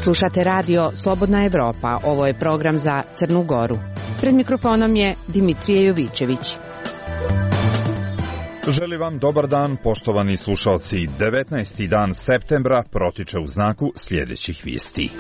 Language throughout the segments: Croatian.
Slušate radio Slobodna Evropa. Ovo je program za Crnu Goru. Pred mikrofonom je Dimitrije Jovičević. Želim vam dobar dan, poštovani slušalci. 19. dan septembra protiče u znaku sljedećih vijesti.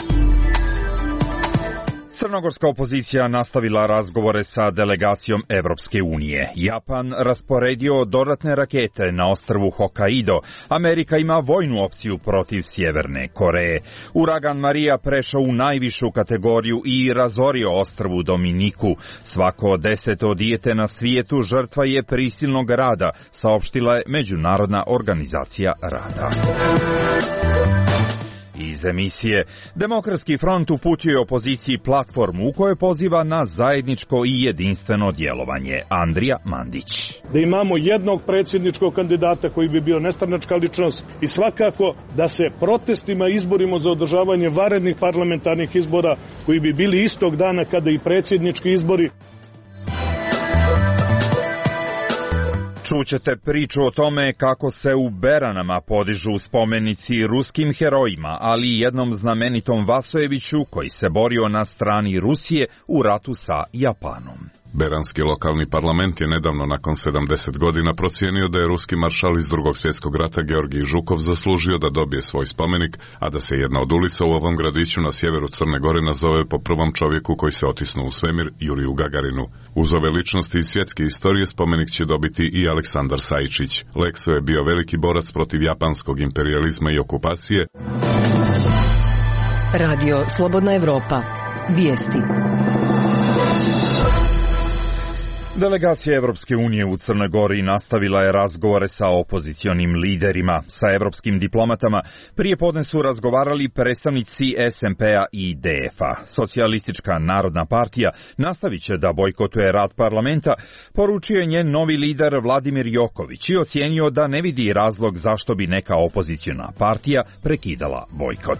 Crnogorska opozicija nastavila razgovore sa delegacijom Evropske unije. Japan rasporedio dodatne rakete na ostrvu Hokkaido. Amerika ima vojnu opciju protiv Sjeverne Koreje. Uragan Marija prešao u najvišu kategoriju i razorio ostrvu Dominiku. Svako 10. dijete na svijetu žrtva je prisilnog rada, saopštila je Međunarodna organizacija rada. Iz emisije Demokratski front uputio je opoziciji platformu u kojoj poziva na zajedničko i jedinstveno djelovanje. Andrija Mandić. Da imamo jednog predsjedničkog kandidata koji bi bio nestranačka ličnost i svakako da se protestima izborimo za održavanje vanrednih parlamentarnih izbora koji bi bili istog dana kada i predsjednički izbori. Čućete priču o tome kako se u Beranama podižu spomenici ruskim herojima, ali i jednom znamenitom Vasojeviću koji se borio na strani Rusije u ratu sa Japanom. Beranski lokalni parlament je nedavno nakon 70 godina procijenio da je ruski maršal iz Drugog svjetskog rata Georgij Žukov zaslužio da dobije svoj spomenik, a da se jedna od ulica u ovom gradiću na sjeveru Crne Gore nazove po prvom čovjeku koji se otisnuo u svemir, Juriju Gagarinu. Uz ove ličnosti iz svjetske istorije spomenik će dobiti i Aleksandar Sajičić. Lekso je bio veliki borac protiv japanskog imperijalizma i okupacije. Radio Slobodna Evropa. Vijesti. Delegacija Evropske unije u Crnoj Gori nastavila je razgovore sa opozicionim liderima. Sa evropskim diplomatama prije podne su razgovarali predstavnici SMP-a i DF-a. Socijalistička narodna partija nastavit će da bojkotuje rad parlamenta, poručio je njen novi lider Vladimir Joković i ocijenio da ne vidi razlog zašto bi neka opoziciona partija prekidala bojkot.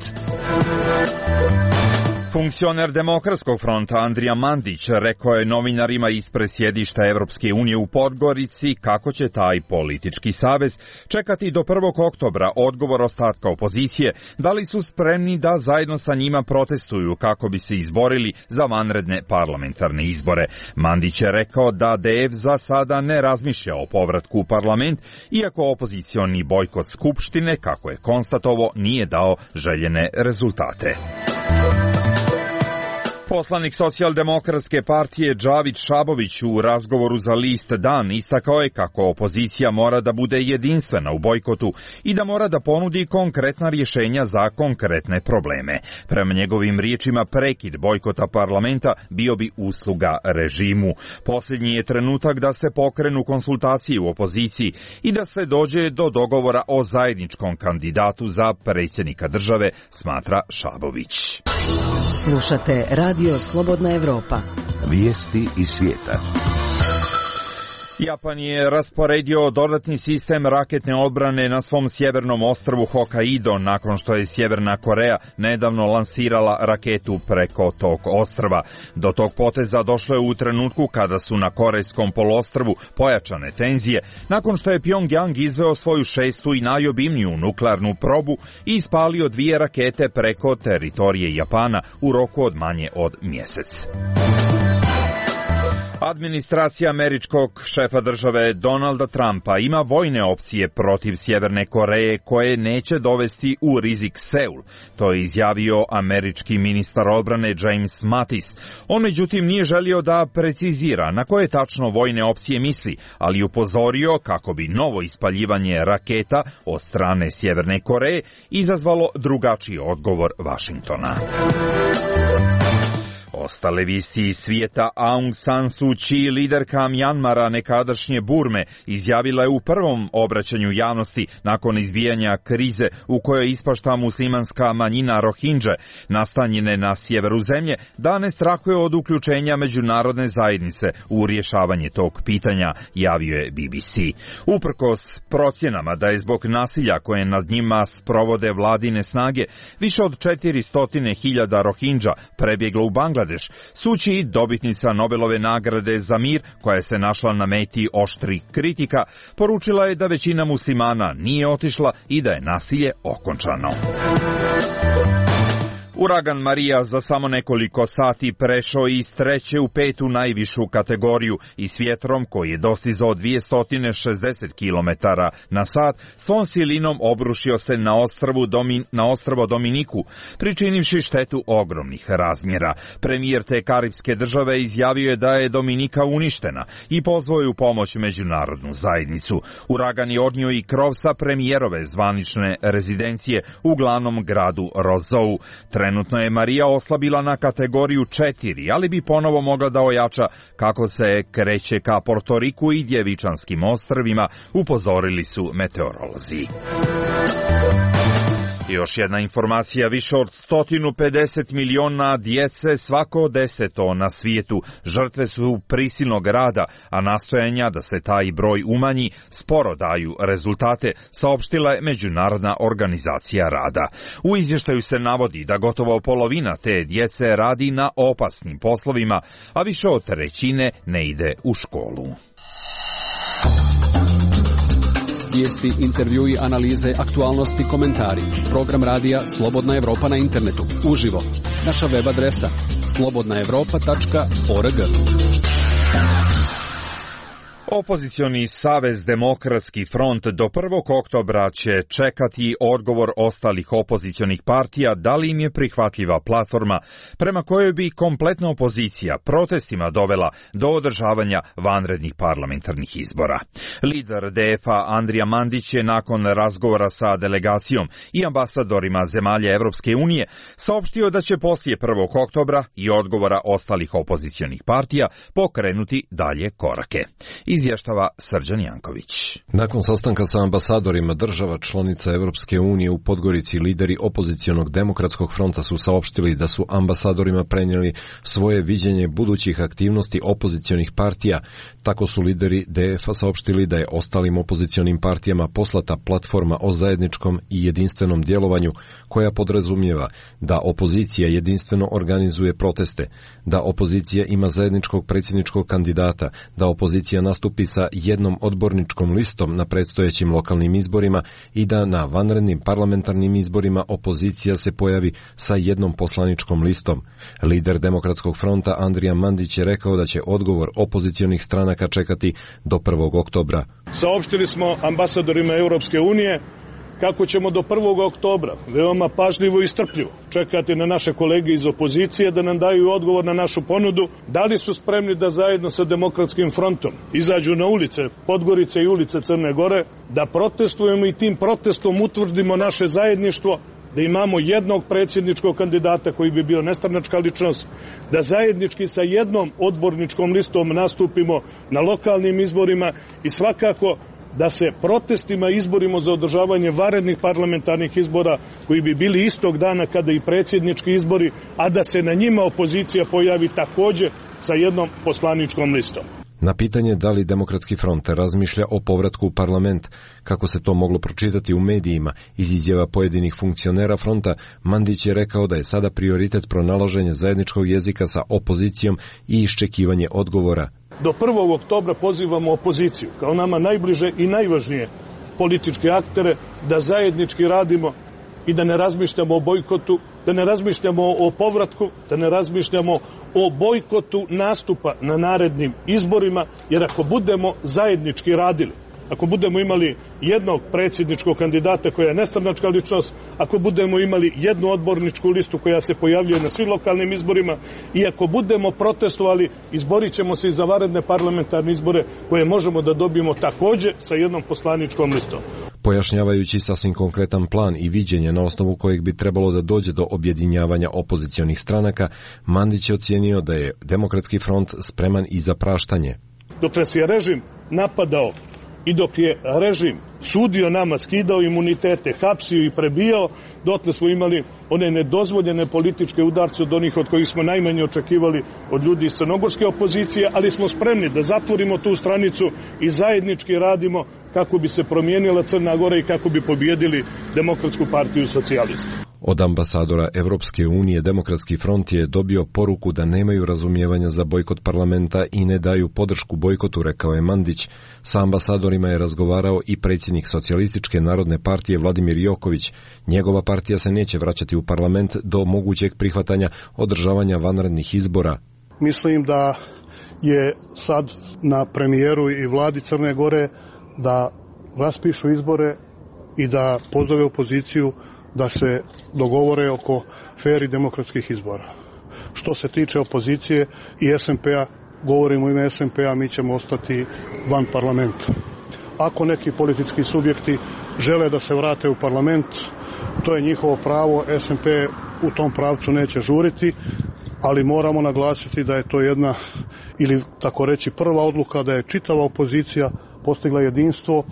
Funkcioner Demokratskog fronta Andrija Mandić rekao je novinarima ispred sjedišta Evropske unije u Podgorici kako će taj politički savez čekati do 1. oktobra odgovor ostatka opozicije, da li su spremni da zajedno sa njima protestuju kako bi se izborili za vanredne parlamentarne izbore. Mandić je rekao da DF za sada ne razmišlja o povratku u parlament, iako opozicioni bojkot Skupštine, kako je konstatovao, nije dao željene rezultate. Poslanik Socijaldemokratske partije Džavid Šabović u razgovoru za list Dan istakao je kako opozicija mora da bude jedinstvena u bojkotu i da mora da ponudi konkretna rješenja za konkretne probleme. Prema njegovim riječima, prekid bojkota parlamenta bio bi usluga režimu. Posljednji je trenutak da se pokrenu konsultacije u opoziciji i da se dođe do dogovora o zajedničkom kandidatu za predsjednika države, smatra Šabović. Slušate Radio Slobodna Evropa. Vijesti iz svijeta. Japan je rasporedio dodatni sistem raketne odbrane na svom sjevernom ostrvu Hokkaido nakon što je Sjeverna Koreja nedavno lansirala raketu preko tog ostrva. Do tog poteza došlo je u trenutku kada su na Korejskom poluostrvu pojačane tenzije, nakon što je Pjongjang izveo svoju 6. i najobimniju nuklearnu probu i ispalio 2 rakete preko teritorije Japana u roku od manje od mjesec. Administracija američkog šefa države Donalda Trumpa ima vojne opcije protiv Sjeverne Koreje koje neće dovesti u rizik Seul. To je izjavio američki ministar odbrane James Mattis. On međutim nije želio da precizira na koje tačno vojne opcije misli, ali upozorio kako bi novo ispaljivanje raketa od strane Sjeverne Koreje izazvalo drugačiji odgovor Vašingtona. Ostale vijesti iz svijeta. Aung San Suu Kyi, liderka Mjanmara, nekadašnje Burme, izjavila je u prvom obraćanju javnosti nakon izbijanja krize u kojoj ispašta muslimanska manjina Rohingje, nastanjene na sjeveru zemlje, da ne strahuje od uključenja međunarodne zajednice u rješavanje tog pitanja, javio je BBC. Uprkos procjenama da je zbog nasilja koje nad njima sprovode vladine snage, više od 400.000 Rohingja prebjeglo u Bangladeš, Suu Kyi, dobitnica Nobelove nagrade za mir, koja se našla na meti oštrih kritika, poručila je da većina muslimana nije otišla i da je nasilje okončano. Uragan Marija za samo nekoliko sati prešao iz 3. u 5. najvišu kategoriju i s vjetrom koji je dostizao 260 km na sat svom silinom obrušio se na ostrvo Dominiku, pričinivši štetu ogromnih razmjera. Premijer te karipske države izjavio je da je Dominika uništena i pozvao je u pomoć međunarodnu zajednicu. Uragan je odnio i krov sa premijerove zvanične rezidencije u glavnom gradu Rosou. Trenutno je Marija oslabila na kategoriju 4, ali bi ponovo mogla da ojača kako se kreće ka Portoriku i Djevičanskim ostrvima, upozorili su meteorolozi. Još jedna informacija, više od 150 miliona djece, svako 10 na svijetu, žrtve su prisilnog rada, a nastojanja da se taj broj umanji sporo daju rezultate, saopštila je Međunarodna organizacija rada. U izvještaju se navodi da gotovo polovina te djece radi na opasnim poslovima, a više od trećine ne ide u školu. Vijesti, intervjui, analize, aktualnosti, komentari. Program radija Slobodna Evropa na internetu. Uživo. Naša web adresa slobodnaevropa.org. Opozicioni savez Demokratski front do 1. oktobra će čekati odgovor ostalih opozicionih partija da li im je prihvatljiva platforma prema kojoj bi kompletna opozicija protestima dovela do održavanja vanrednih parlamentarnih izbora. Lider DF-a Andrija Mandić je nakon razgovora sa delegacijom i ambasadorima zemalja Evropske unije saopštio da će poslije 1. oktobra i odgovora ostalih opozicionih partija pokrenuti dalje korake. Izvještava Srđan Janković. Nakon sastanka sa ambasadorima država članica Evropske unije u Podgorici, lideri opozicionog Demokratskog fronta su saopštili da su ambasadorima prenijeli svoje viđenje budućih aktivnosti opozicionih partija. Tako su lideri DF-a saopštili da je ostalim opozicionim partijama poslata platforma o zajedničkom i jedinstvenom djelovanju koja podrazumijeva da opozicija jedinstveno organizuje proteste, da opozicija ima zajedničkog predsjedničkog kandidata, da opozicija nastupi sa jednom odborničkom listom na predstojećim lokalnim izborima i da na vanrednim parlamentarnim izborima opozicija se pojavi sa jednom poslaničkom listom. Lider Demokratskog fronta Andrija Mandić je rekao da će odgovor opozicionih stranaka čekati do 1. oktobra. Saopštili smo ambasadorima Europske unije kako ćemo do 1. oktobra veoma pažljivo i strpljivo čekati na naše kolege iz opozicije da nam daju odgovor na našu ponudu, da li su spremni da zajedno sa Demokratskim frontom izađu na ulice Podgorice i ulice Crne Gore, da protestujemo i tim protestom utvrdimo naše zajedništvo, da imamo jednog predsjedničkog kandidata koji bi bio nestranačka ličnost, da zajednički sa jednom odborničkom listom nastupimo na lokalnim izborima i svakako da se protestima izborimo za održavanje vanrednih parlamentarnih izbora koji bi bili istog dana kada i predsjednički izbori, a da se na njima opozicija pojavi također sa jednom poslaničkom listom. Na pitanje da li Demokratski front razmišlja o povratku u parlament, kako se to moglo pročitati u medijima iz izjava pojedinih funkcionera fronta, Mandić je rekao da je sada prioritet pronalaženje zajedničkog jezika sa opozicijom i iščekivanje odgovora. Do 1. oktobra pozivamo opoziciju, kao nama najbliže i najvažnije političke aktere, da zajednički radimo i da ne razmišljamo o bojkotu, da ne razmišljamo o povratku, da ne razmišljamo o bojkotu nastupa na narednim izborima, jer ako budemo zajednički radili, ako budemo imali jednog predsjedničkog kandidata koja je nestranačka ličnost, ako budemo imali jednu odborničku listu koja se pojavljuje na svim lokalnim izborima i ako budemo protestovali, izborit ćemo se i za vanredne parlamentarne izbore koje možemo da dobijemo također sa jednom poslaničkom listom. Pojašnjavajući sasvim konkretan plan i viđenje na osnovu kojeg bi trebalo da dođe do objedinjavanja opozicionih stranaka, Mandić je ocijenio da je Demokratski front spreman i za praštanje. Dok nas je režim napadao i dok je režim sudio nama, skidao imunitete, hapsio i prebijao, dotle smo imali one nedozvoljene političke udarce od onih od kojih smo najmanje očekivali od ljudi iz crnogorske opozicije, ali smo spremni da zatvorimo tu stranicu i zajednički radimo kako bi se promijenila Crna Gora i kako bi pobjedili Demokratsku partiju socijalista. Od ambasadora Evropske unije Demokratski front je dobio poruku da nemaju razumijevanja za bojkot parlamenta i ne daju podršku bojkotu, rekao je Mandić. Sa ambasadorima je razgovarao i predsjednik Socijalističke narodne partije Vladimir Joković. Njegova partija se neće vraćati u parlament do mogućeg prihvatanja održavanja vanrednih izbora. Mislim da je sad na premijeru i vladi Crne Gore da raspišu izbore i da pozove opoziciju da se dogovore oko fer i demokratskih izbora. Što se tiče opozicije i SMP-a, govorim u ime SMP-a, mi ćemo ostati van parlamenta. Ako neki politički subjekti žele da se vrate u parlament, to je njihovo pravo, SMP u tom pravcu neće žuriti, ali moramo naglasiti da je to jedna, ili tako reći prva odluka, da je čitava opozicija postigla jedinstvo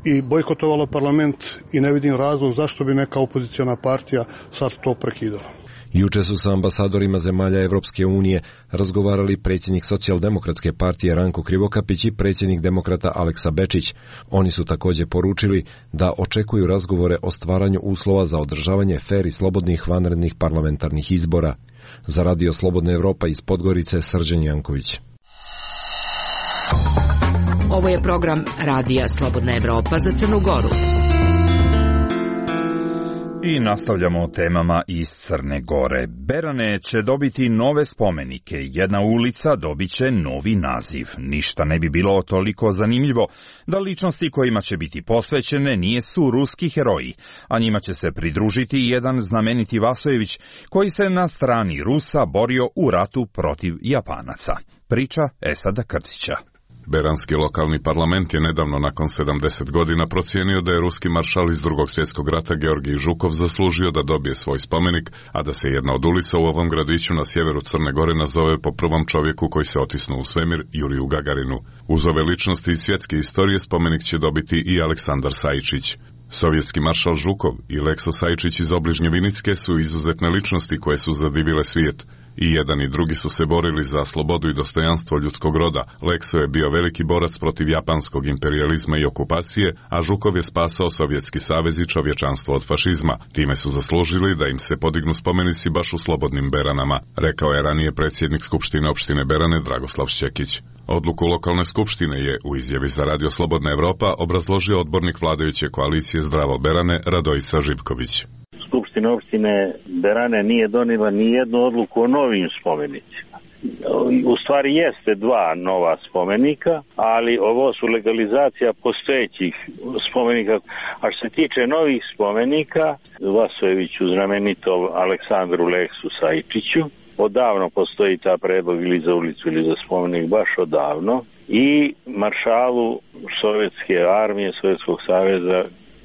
i bojkotovala parlament i ne vidim razlog zašto bi neka opoziciona partija sad to prekidala. Juče su sa ambasadorima zemalja Evropske unije razgovarali predsjednik Socijaldemokratske partije Ranko Krivokapić i predsjednik demokrata Aleksa Bečić. Oni su također poručili da očekuju razgovore o stvaranju uslova za održavanje fer i slobodnih vanrednih parlamentarnih izbora. Za Radio Slobodna Evropa iz Podgorice, Srđan Janković. Ovo je program Radija Slobodna Evropa za Crnu Goru. I nastavljamo temama iz Crne Gore. Berane će dobiti nove spomenike. Jedna ulica dobit će novi naziv. Ništa ne bi bilo toliko zanimljivo da ličnosti kojima će biti posvećene nisu ruski heroji, a njima će se pridružiti jedan znameniti Vasojević koji se na strani Rusa borio u ratu protiv Japanaca. Priča Esada Krcića. Beranski lokalni parlament je nedavno nakon 70 godina procijenio da je ruski maršal iz Drugog svjetskog rata Georgij Žukov zaslužio da dobije svoj spomenik, a da se jedna od ulica u ovom gradiću na sjeveru Crne Gore nazove po prvom čovjeku koji se otisnuo u svemir, Juriju Gagarinu. Uz ove ličnosti iz svjetske istorije spomenik će dobiti i Aleksandar Sajčić. Sovjetski maršal Žukov i Lekso Sajčić iz obližnje Vinicke su izuzetne ličnosti koje su zadivile svijet. I jedan i drugi su se borili za slobodu i dostojanstvo ljudskog roda. Lekso je bio veliki borac protiv japanskog imperijalizma i okupacije, a Žukov je spasao Sovjetski savez i čovječanstvo od fašizma. Time su zaslužili da im se podignu spomenici baš u slobodnim Beranama, rekao je ranije predsjednik Skupštine opštine Berane Dragoslav Šćekić. Odluku lokalne skupštine je u izjavi za Radio Slobodna Evropa obrazložio odbornik vladajuće koalicije Zdravo Berane Radojica Živković. Skupština opštine Berane nije donijela ni jednu odluku o novim spomenicima. U stvari jeste dva nova spomenika, ali ovo su legalizacija postojećih spomenika. A što se tiče novih spomenika, Vasojeviću znamenitom Aleksandru Leksu Sajčiću, odavno postoji ta predlog ili za ulicu ili za spomenik, baš odavno, i maršalu Sovjetske armije, Sovjetskog saveza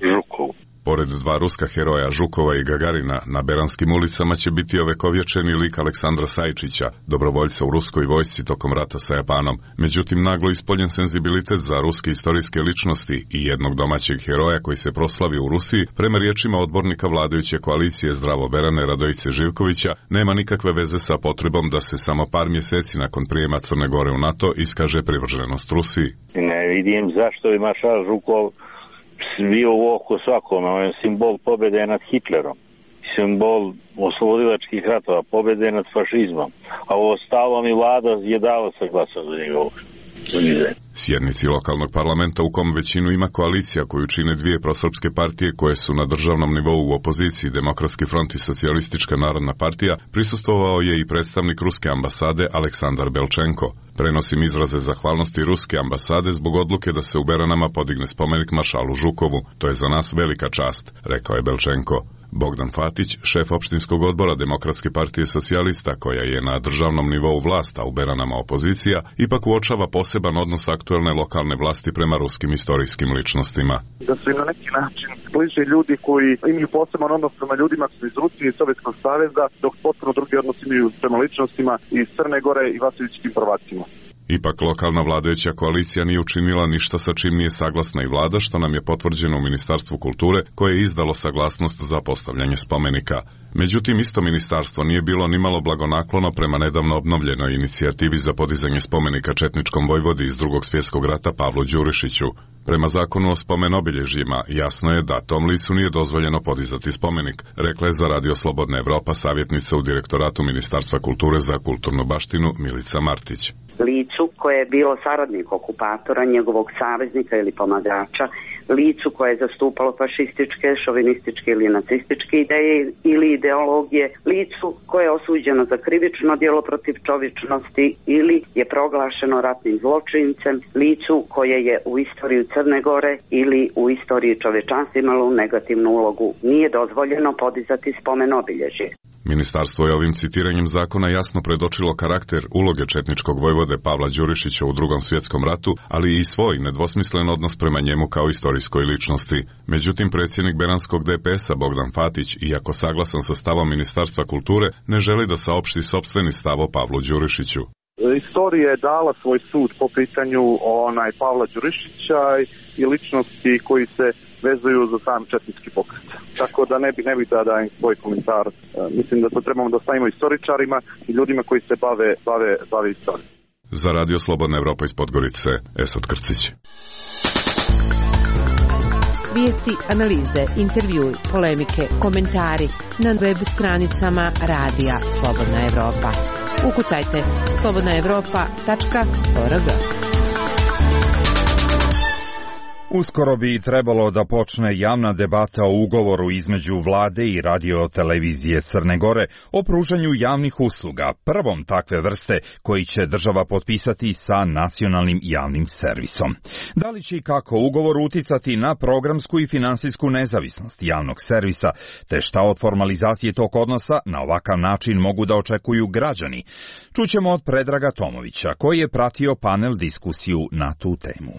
Žukovu. Pored dva ruska heroja Žukova i Gagarina, na beranskim ulicama će biti ovekovječeni lik Aleksandra Sajčića, dobrovoljca u ruskoj vojsci tokom rata sa Japanom. Međutim, naglo ispoljen senzibilitet za ruske istorijske ličnosti i jednog domaćeg heroja koji se proslavio u Rusiji, prema riječima odbornika vladajuće koalicije Zdravo Berane Radojice Živkovića, nema nikakve veze sa potrebom da se samo par mjeseci nakon prijema Crne Gore u NATO iskaže privrženost Rusiji. Ne vidim zašto bi maršal Žukov bio u oko svakome. On je simbol pobjede nad Hitlerom, simbol oslobodilačkih ratova, pobjede nad fašizmom, a ovo stalom i vlada je dala saglasnost za njegovu. Sjednici lokalnog parlamenta u kom većinu ima koalicija koju čine dvije prosrpske partije koje su na državnom nivou u opoziciji, Demokratski front i Socijalistička narodna partija, prisustvovao je i predstavnik ruske ambasade Aleksandar Belčenko. Prenosim izraze zahvalnosti ruske ambasade zbog odluke da se u Beranama podigne spomenik maršalu Žukovu. To je za nas velika čast, rekao je Belčenko. Bogdan Fatić, šef opštinskog odbora Demokratske partije socijalista, koja je na državnom nivou vlast, a u Beranama opozicija, ipak uočava poseban odnos aktuelne lokalne vlasti prema ruskim istorijskim ličnostima. Da su im na neki način bliže ljudi koji imaju poseban odnos prema ljudima koji su iz Rusije i Sovjetskog saveza, dok potpuno drugi odnos imaju prema ličnostima iz Crne Gore i vasojevičkim prvacima. Ipak lokalna vladajuća koalicija nije učinila ništa sa čim nije saglasna i vlada, što nam je potvrđeno u Ministarstvu kulture koje je izdalo saglasnost za postavljanje spomenika. Međutim, isto ministarstvo nije bilo nimalo blagonaklono prema nedavno obnovljenoj inicijativi za podizanje spomenika četničkom vojvodi iz Drugog svjetskog rata Pavlu Đurišiću. Prema zakonu o spomen-obilježjima jasno je da tom licu nije dozvoljeno podizati spomenik, rekla je za Radio Slobodna Evropa savjetnica u direktoratu Ministarstva kulture za kulturnu baštinu Milica Martić. Licu koje je bilo saradnik okupatora, njegovog saveznika ili pomagača, licu koje je zastupalo fašističke, šovinističke ili nacističke ideje ili ideologije, licu koje je osuđeno za krivično djelo protiv čovječnosti ili je proglašeno ratnim zločincem, licu koje je u istoriju Crne Gore ili u istoriji čovječanstva imalo negativnu ulogu, nije dozvoljeno podizati spomen obilježje. Ministarstvo je ovim citiranjem zakona jasno predočilo karakter uloge četničkog vojvode Pavla Đurišića u Drugom svjetskom ratu, ali i svoj nedvosmislen odnos prema njemu kao istorijskoj ličnosti. Međutim, predsjednik beranskog DPS-a Bogdan Fatić, iako saglasan sa stavom Ministarstva kulture, ne želi da saopšti sopstveni stav o Pavlu Đurišiću. Istorija je dala svoj sud po pitanju Pavla Đurišića i ličnosti koji se vezuju za sam četnički pokret. Tako da ne bih da dajem svoj komentar. Mislim da to trebamo da stavimo istoričarima i ljudima koji se bave istorijom. Za Radio Slobodna Evropa iz Podgorice, Esad Krcić. Vijesti, analize, intervjui, polemike, komentari na web stranicama Radija Slobodna Evropa. Ukucajte slobodnaevropa.org. Uskoro bi trebalo da počne javna debata o ugovoru između vlade i radio-televizije Crne Gore o pružanju javnih usluga, prvom takve vrste koji će država potpisati sa nacionalnim javnim servisom. Da li će i kako ugovor uticati na programsku i finansijsku nezavisnost javnog servisa, te šta od formalizacije tog odnosa na ovakav način mogu da očekuju građani? Čućemo od Predraga Tomovića, koji je pratio panel diskusiju na tu temu.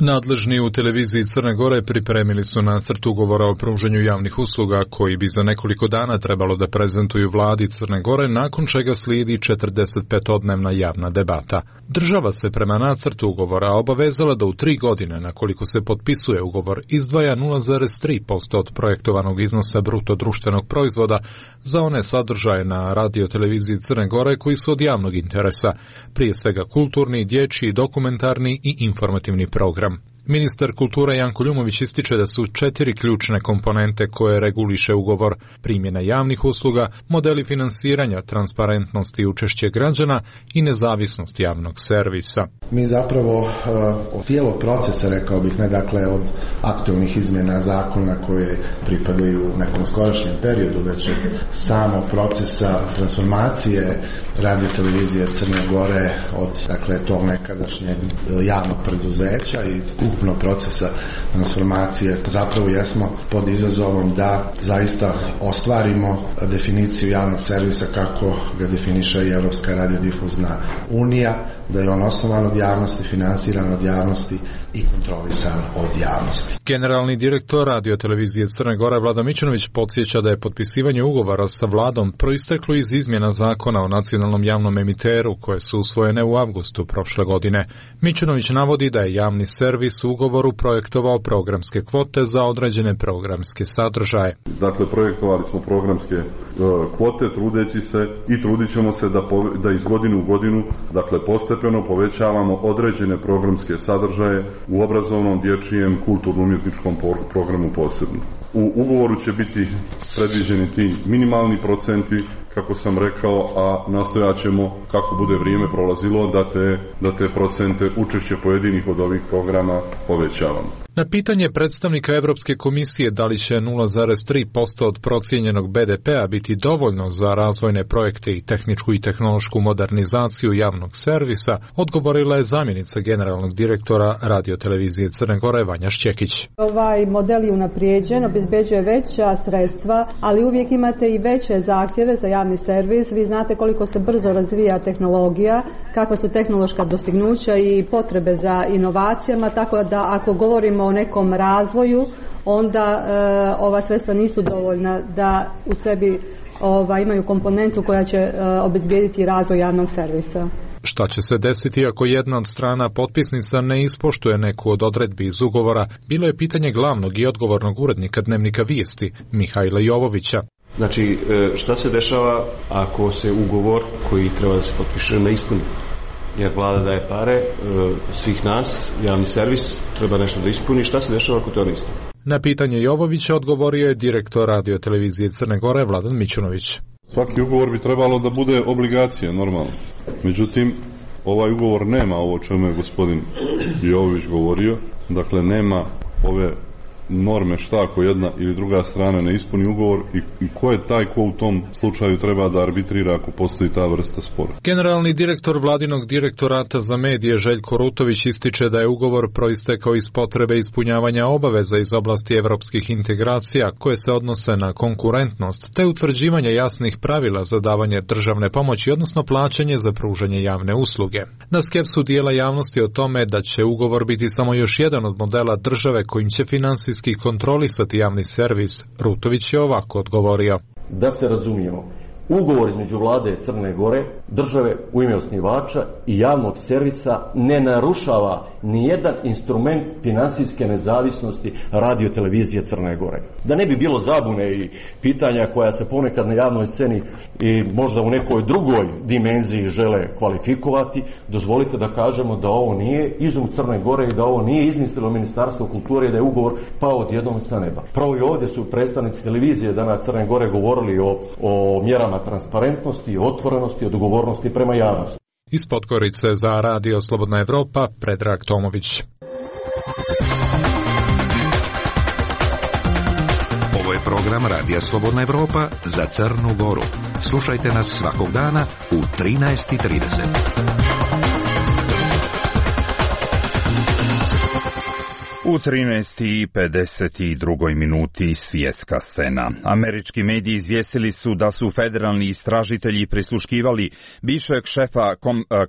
Nadležni u televiziji Crne Gore pripremili su nacrt ugovora o pružanju javnih usluga koji bi za nekoliko dana trebalo da prezentuju vladi Crne Gore, nakon čega slijedi 45-odnevna javna debata. Država se prema nacrtu ugovora obavezala da u 3 godine, nakoliko se potpisuje ugovor, izdvaja 0,3% od projektovanog iznosa bruto društvenog proizvoda za one sadržaje na radio-televiziji Crne Gore koji su od javnog interesa, prije svega kulturni, dječji, dokumentarni i informativni program. Ministar kulture Janko Ljumović ističe da su 4 ključne komponente koje reguliše ugovor: primjena javnih usluga, modeli finansiranja, transparentnost i učešće građana i nezavisnost javnog servisa. Mi zapravo od cijelog procesa, rekao bih, ne dakle od aktualnih izmjena zakona koje pripadaju nekom skorašnjem periodu, već od samog procesa transformacije radio-televizije Crne Gore od dakle tog nekadašnjeg javnog preduzeća i ukupnog procesa transformacije, zapravo jesmo pod izazovom da zaista ostvarimo definiciju javnog servisa kako ga definiše i Europska radiodifuzna unija, da je on osnovan od javnosti, finansiran od javnosti i kontrolisan od javnosti. Generalni direktor radio-televizije Crne Gore Vlada Mićunović podsjeća da je potpisivanje ugovora sa vladom proisteklo iz izmjena zakona o nacionalnom javnom emiteru koje su usvojene u avgustu prošle godine. Mićunović navodi da je javni servis u ugovoru projektovao programske kvote za određene programske sadržaje. Dakle, projektovali smo programske kvote trudeći se i trudit ćemo se da iz godine u godinu, dakle postepeno povećavamo određene programske sadržaje u obrazovnom, dječjem, kulturno-umjetničkom programu posebno. U ugovoru će biti predviđeni ti minimalni procenti, kako sam rekao, a nastojat ćemo, kako bude vrijeme prolazilo, da te procente učešće pojedinih od ovih programa povećavamo. Na pitanje predstavnika Europske komisije da li će 0,3% od procijenjenog BDP-a biti dovoljno za razvojne projekte i tehničku i tehnološku modernizaciju javnog servisa, odgovorila je zamjenica generalnog direktora radio-televizije Crne Gore Vanja Šćekić. Ovaj model je unaprijeđen, obezbeđuje veća sredstva, ali uvijek imate i veće zahtjeve za javni servis. Vi znate koliko se brzo razvija tehnologija, kakva su tehnološka dostignuća i potrebe za inovacijama, tako da ako govorimo o nekom razvoju, onda ova sredstva nisu dovoljna da u sebi imaju komponentu koja će obezbijediti razvoj javnog servisa. Šta će se desiti ako jedna od strana potpisnica ne ispoštuje neku od odredbi iz ugovora, bilo je pitanje glavnog i odgovornog urednika Dnevnika Vijesti, Mihajla Jovovića. Znači, šta se dešava ako se ugovor koji treba da se potpiše ne ispuni? Jer vlada daje pare svih nas, javni servis treba nešto da ispuni, šta se dešava ako to ne ispuni? Na pitanje Jovovića odgovorio je direktor radio televizije Crne Gore Vladan Mićunović. Svaki ugovor bi trebalo da bude obligacija, normalno. Međutim, ovaj ugovor nema ovo o čemu je gospodin Jovović govorio, dakle nema ove norme šta ako jedna ili druga strana ne ispuni ugovor i ko je taj ko u tom slučaju treba da arbitrira ako postoji ta vrsta spora. Generalni direktor vladinog direktorata za medije Željko Rutović ističe da je ugovor proistekao iz potrebe ispunjavanja obaveza iz oblasti evropskih integracija koje se odnose na konkurentnost te utvrđivanje jasnih pravila za davanje državne pomoći, odnosno plaćanje za pružanje javne usluge. Na skepsu dijela javnosti o tome da će ugovor biti samo još jedan od modela države kojim će finansijski kontrolisati javni servis, Rutović je ovako odgovorio. Da se razumijemo, ugovor između vlade Crne Gore, države u ime osnivača i javnog servisa ne narušava nijedan instrument finansijske nezavisnosti radiotelevizije Crne Gore. Da ne bi bilo zabune i pitanja koja se ponekad na javnoj sceni i možda u nekoj drugoj dimenziji žele kvalifikovati, dozvolite da kažemo da ovo nije izum Crne Gore i da ovo nije izmislilo Ministarstvo kulture i da je ugovor pao odjednom sa neba. Pravo i ovdje su predstavnici televizije danas Crne Gore govorili o mjerama transparentnosti, otvorenosti, odgovornosti prema javnosti. Iz Podgorice za radio Slobodna Evropa, Predrag Tomović. Ovo je program Radija Slobodna Evropa za Crnu Goru. Slušajte nas svakog dana u 13:30. U 13:52 minuti svjetska scena. Američki mediji izvijestili su da su federalni istražitelji prisluškivali bivšeg šefa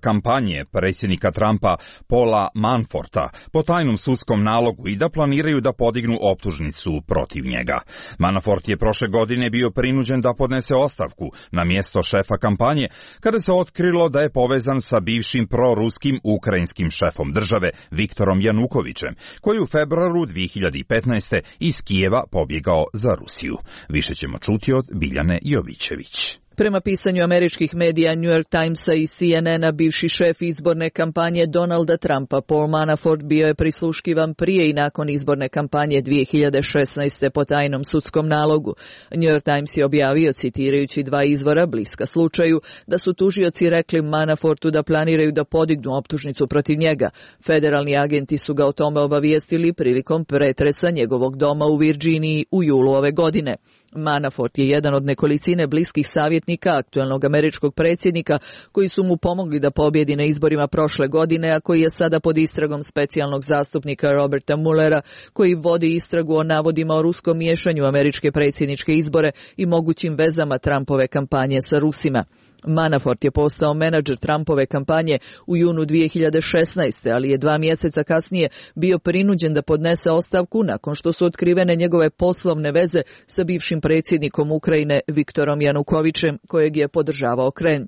kampanje predsjednika Trumpa Paula Manaforta po tajnom sudskom nalogu i da planiraju da podignu optužnicu protiv njega. Manafort je prošle godine bio prinuđen da podnese ostavku na mjesto šefa kampanje kada se otkrilo da je povezan sa bivšim proruskim ukrajinskim šefom države Viktorom Janukovićem, koji u februaru 2015. iz Kijeva pobjegao za Rusiju. Više ćemo čuti od Biljane Jovićević. Prema pisanju američkih medija New York Timesa i CNN-a, bivši šef izborne kampanje Donalda Trumpa, Paul Manafort, bio je prisluškivan prije i nakon izborne kampanje 2016. po tajnom sudskom nalogu. New York Times je objavio, citirajući dva izvora bliska slučaju, da su tužioci rekli Manafortu da planiraju da podignu optužnicu protiv njega. Federalni agenti su ga o tome obavijestili prilikom pretresa njegovog doma u Virginiji u julu ove godine. Manafort je jedan od nekolicine bliskih savjetnika aktuelnog američkog predsjednika koji su mu pomogli da pobjedi na izborima prošle godine, a koji je sada pod istragom specijalnog zastupnika Roberta Muellera, koji vodi istragu o navodima o ruskom miješanju američke predsjedničke izbore i mogućim vezama Trumpove kampanje sa Rusima. Manafort je postao menadžer Trumpove kampanje u junu 2016. ali je 2 mjeseca kasnije bio prinuđen da podnese ostavku nakon što su otkrivene njegove poslovne veze sa bivšim predsjednikom Ukrajine Viktorom Janukovićem, kojeg je podržavao Kremlj.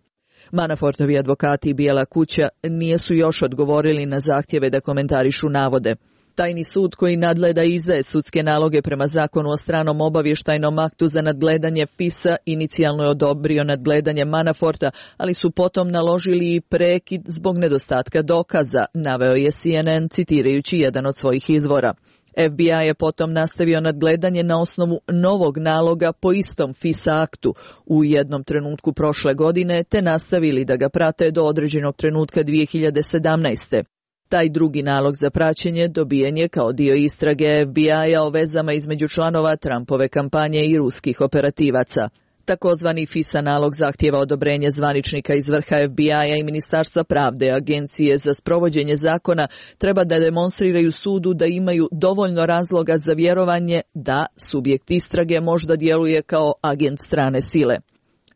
Manafortovi advokati i Bijela kuća nisu još odgovorili na zahtjeve da komentarišu navode. Tajni sud koji nadgleda i izdaje sudske naloge prema zakonu o stranom obavještajnom aktu za nadgledanje FIS-a inicijalno je odobrio nadgledanje Manaforta, ali su potom naložili i prekid zbog nedostatka dokaza, naveo je CNN citirajući jedan od svojih izvora. FBI je potom nastavio nadgledanje na osnovu novog naloga po istom FIS aktu u jednom trenutku prošle godine, te nastavili da ga prate do određenog trenutka 2017. Taj drugi nalog za praćenje dobijen je kao dio istrage FBI-a o vezama između članova Trumpove kampanje i ruskih operativaca. Takozvani FISA nalog zahtijeva odobrenje zvaničnika iz vrha FBI-a i Ministarstva pravde. Agencije za sprovođenje zakona treba da demonstriraju sudu da imaju dovoljno razloga za vjerovanje da subjekt istrage možda djeluje kao agent strane sile.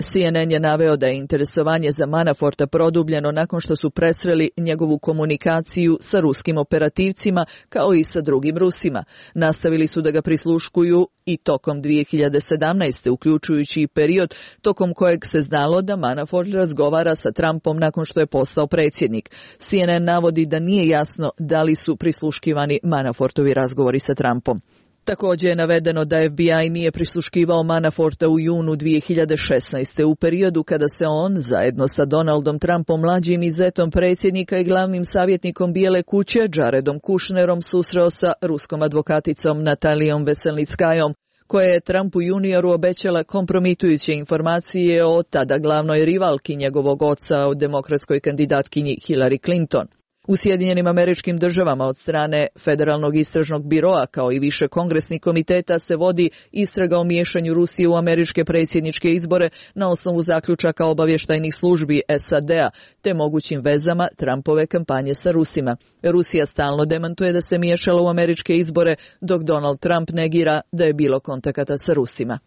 CNN je naveo da je interesovanje za Manaforta produbljeno nakon što su presreli njegovu komunikaciju sa ruskim operativcima kao i sa drugim Rusima. Nastavili su da ga prisluškuju i tokom 2017. uključujući i period tokom kojeg se znalo da Manafort razgovara sa Trumpom nakon što je postao predsjednik. CNN navodi da nije jasno da li su prisluškivani Manafortovi razgovori sa Trumpom. Također je navedeno da FBI nije prisluškivao Manaforta u junu 2016. u periodu kada se on, zajedno sa Donaldom Trumpom, mlađim i zetom predsjednika i glavnim savjetnikom Bijele kuće, Jaredom Kushnerom, susreo sa ruskom advokaticom Natalijom Veselnickajom, koja je Trumpu junioru obećala kompromitujuće informacije o tada glavnoj rivalki njegovog oca, o demokratskoj kandidatkinji Hillary Clinton. U Sjedinjenim Američkim Državama od strane Federalnog istražnog biroa kao i više kongresnih komiteta se vodi istraga o miješanju Rusije u američke predsjedničke izbore na osnovu zaključaka obavještajnih službi SAD-a te mogućim vezama Trumpove kampanje sa Rusima. Rusija stalno demantuje da se miješala u američke izbore, dok Donald Trump negira da je bilo kontakata sa Rusima.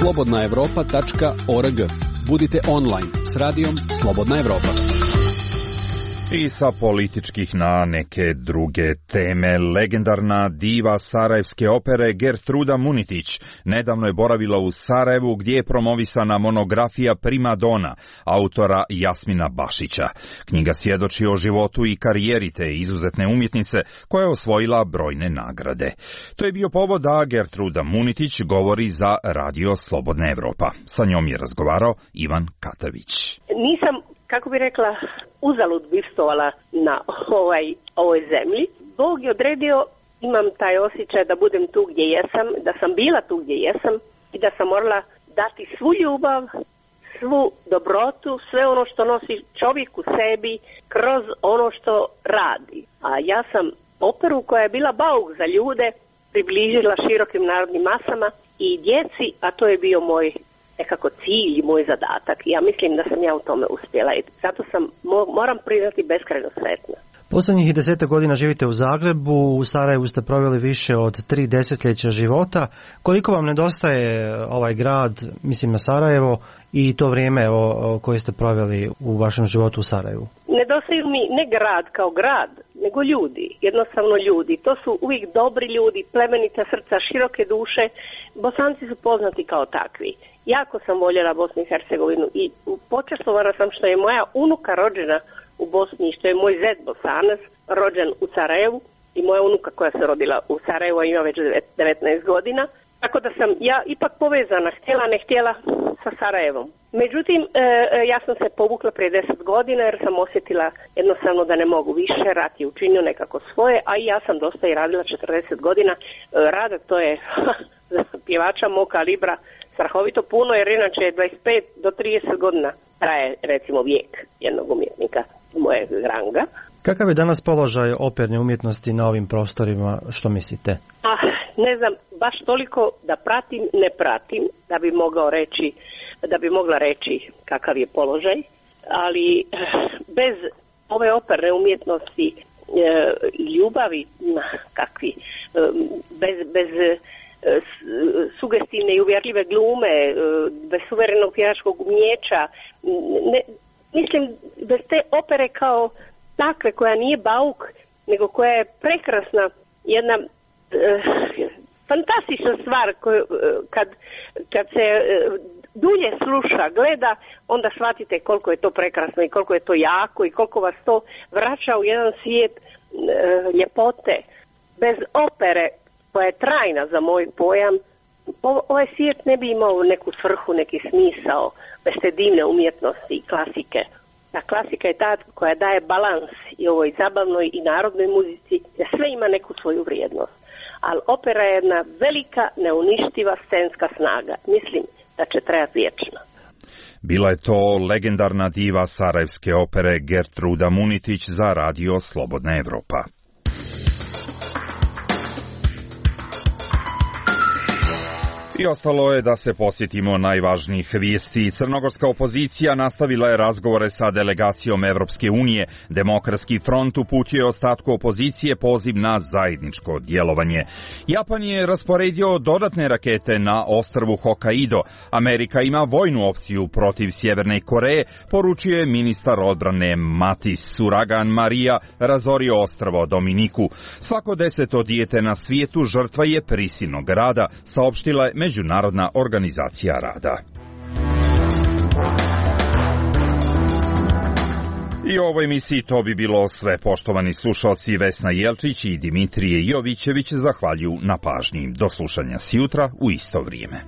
Slobodnaevropa.org. Budite online s radijom Slobodna Evropa. I sa političkih na neke druge teme. Legendarna diva sarajevske opere Gertruda Munitić nedavno je boravila u Sarajevu gdje je promovisana monografija Prima Dona autora Jasmina Bašića. Knjiga svjedoči o životu i karijeri te izuzetne umjetnice koja je osvojila brojne nagrade. To je bio povod da Gertruda Munitić govori za Radio Slobodna Evropa. Sa njom je razgovarao Ivan Katavić. Nisam, kako bi rekla, uzalud bivstovala na ovoj zemlji. Bog je odredio, imam taj osjećaj da budem tu gdje jesam, da sam bila tu gdje jesam i da sam morala dati svu ljubav, svu dobrotu, sve ono što nosi čovjek u sebi kroz ono što radi. A ja sam operu koja je bila bauk za ljude približila širokim narodnim masama i djeci, a to je bio moj nekako cilj i moj zadatak. Ja mislim da sam ja u tome uspjela i zato sam, moram priznati, beskrajno sretna. Posljednjih 10 godina živite u Zagrebu, u Sarajevu ste proveli više od 3 desetljeća života. Koliko vam nedostaje ovaj grad, mislim na Sarajevo, i to vrijeme koje ste proveli u vašem životu u Sarajevu? Nedostaju mi ne grad kao grad, nego ljudi, jednostavno ljudi. To su uvijek dobri ljudi, plemenita srca, široke duše. Bosanci su poznati kao takvi. Jako sam voljela Bosnu i Hercegovinu i počastovana sam što je moja unuka rođena u Bosni i što je moj zet Bosanac rođen u Sarajevu i moja unuka koja se rodila u Sarajevu ima već 19 godina. Tako da sam ja ipak povezana, htjela ne htjela, sa Sarajevom. Međutim, ja sam se povukla prije 10 godina jer sam osjetila jednostavno da ne mogu više, rat je učinio nekako svoje, a i ja sam dosta i radila 40 godina. Rada to je za pjevača mog kalibra strahovito puno, jer inače 25 do 30 godina traje recimo vijek jednog umjetnika mojeg ranga. Kakav je danas položaj operne umjetnosti na ovim prostorima, što mislite? Ne znam, baš toliko da pratim, ne pratim, da bi mogla reći kakav je položaj, ali bez ove operne umjetnosti ljubavi, bez sugestivne i uvjerljive glume, bez suverenog pjevačkog umijeća, mislim, bez te opere kao takve koja nije bauk, nego koja je prekrasna, jedna fantastična stvar kad se dulje sluša, gleda, onda shvatite koliko je to prekrasno i koliko je to jako i koliko vas to vraća u jedan svijet ljepote. Bez opere koja je trajna za moj pojam, ovaj svijet ne bi imao neku svrhu, neki smisao bez te divne umjetnosti i klasike. Ta klasika je ta koja daje balans i ovoj zabavnoj i narodnoj muzici, jer sve ima neku svoju vrijednost. Ali opera je jedna velika, neuništiva scenska snaga. Mislim da će trajati vječno. Bila je to legendarna diva sarajevske opere Gertruda Munitić za Radio Slobodna Evropa. I ostalo je da se posjetimo najvažnijih vijesti. Crnogorska opozicija nastavila je razgovore sa delegacijom Evropske unije. Demokratski front uputio je ostatku opozicije poziv na zajedničko djelovanje. Japan je rasporedio dodatne rakete na ostrvu Hokkaido. Amerika ima vojnu opciju protiv Sjeverne Koreje, poručio je ministar odbrane Matis. Uragan Marija razorio ostrvo Dominiku. Svako 10. dijete na svijetu žrtva je prisilnog rada, saopštila je Međunarodna organizacija rada. I u ovoj emisiji to bi bilo sve. Poštovani slušalci, Vesna Jelčić i Dimitrije Jovićević zahvaljuju na pažnji. Do slušanja sjutra u isto vrijeme.